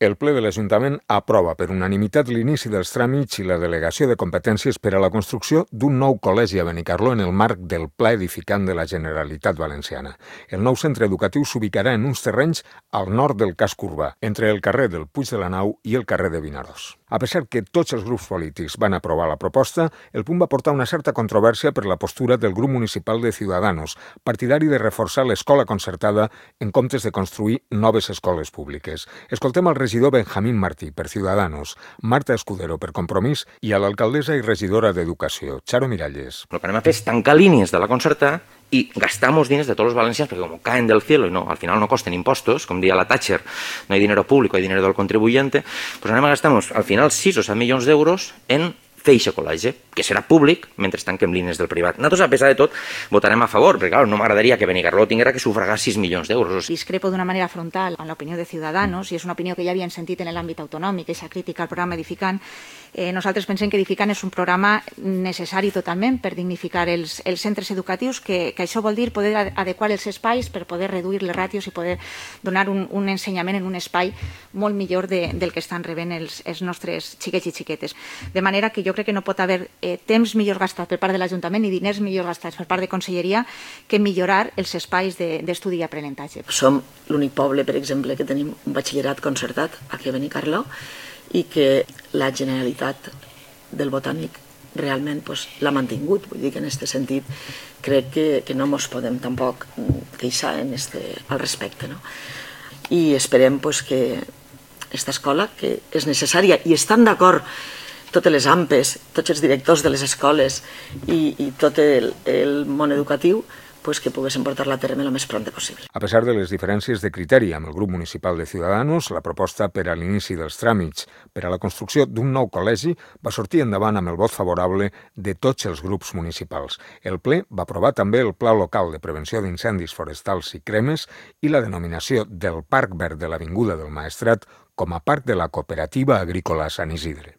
El ple de l'Ajuntament aprova per unanimitat l'inici dels tràmits i la delegació de competències per a la construcció d'un nou col·legi a Benicarló en el marc del Pla Edificant de la Generalitat Valenciana. El nou centre educatiu s'ubicarà en uns terrenys al nord del casc urbà, entre el carrer del Puig de la Nau i el carrer de Vinaròs. A pesar que tots els grups polítics van aprovar la proposta, el punt va portar una certa controvèrsia per la postura del grup municipal de Ciudadanos, partidari de reforçar l'escola concertada en comptes de construir noves escoles públiques. Escoltem al regidor Benjamín Martí, per Ciudadanos, Marta Escudero, per Compromís, i a l'alcaldessa i regidora d'Educació, Charo Miralles. Lo que anem a fer és tancar línies de la concertada y gastamos diners de todos los valencianos porque como caen del cielo y no, al final no costen impostos, com dia la Thatcher, no hay dinero público, hay dinero del contribuyente, pues anem a gastar al final 6 o 7 milions d'euros en fer aquest col·legi, que serà públic mentre tanquem línies del privat. Nosaltres, a pesar de tot, votarem a favor, perquè clar, no m'agradaria que Benicarló tinguera que sufragar 6 milions d'euros. Discrepo d'una manera frontal amb l'opinió de Ciudadanos, i és una opinió que ja havien sentit en l'àmbit autonòmic, aquesta crítica al programa Edificant. Nosaltres pensem que Edificant és un programa necessari totalment per dignificar els centres educatius, que això vol dir poder adequar els espais per poder reduir les ràtios i poder donar un ensenyament en un espai molt millor del que estan rebent els nostres xiquets i xiquetes. De manera que jo crec que no pot haver temps millor gastat per part de l'Ajuntament i diners millor gastats per part de Conselleria que millorar els espais d'estudi i aprenentatge. Som l'únic poble, per exemple, que tenim un batxillerat concertat aquí a Benicarló i que la Generalitat del Botànic realment l'ha mantingut. Vull dir que en aquest sentit crec que no ens podem tampoc queixar al respecte. I esperem que aquesta escola, que és necessària i estan d'acord totes les AMPes, tots els directors de les escoles i tot el món educatiu, que poguessin portar-la a terme el més prompte possible. A pesar de les diferències de criteri amb el grup municipal de Ciudadanos, la proposta per a l'inici dels tràmits per a la construcció d'un nou col·legi va sortir endavant amb el vot favorable de tots els grups municipals. El ple va aprovar també el Pla Local de Prevenció d'Incendis Forestals i Cremes i la denominació del Parc Verd de l'Avinguda del Maestrat com a Parc de la Cooperativa Agrícola Sant Isidre.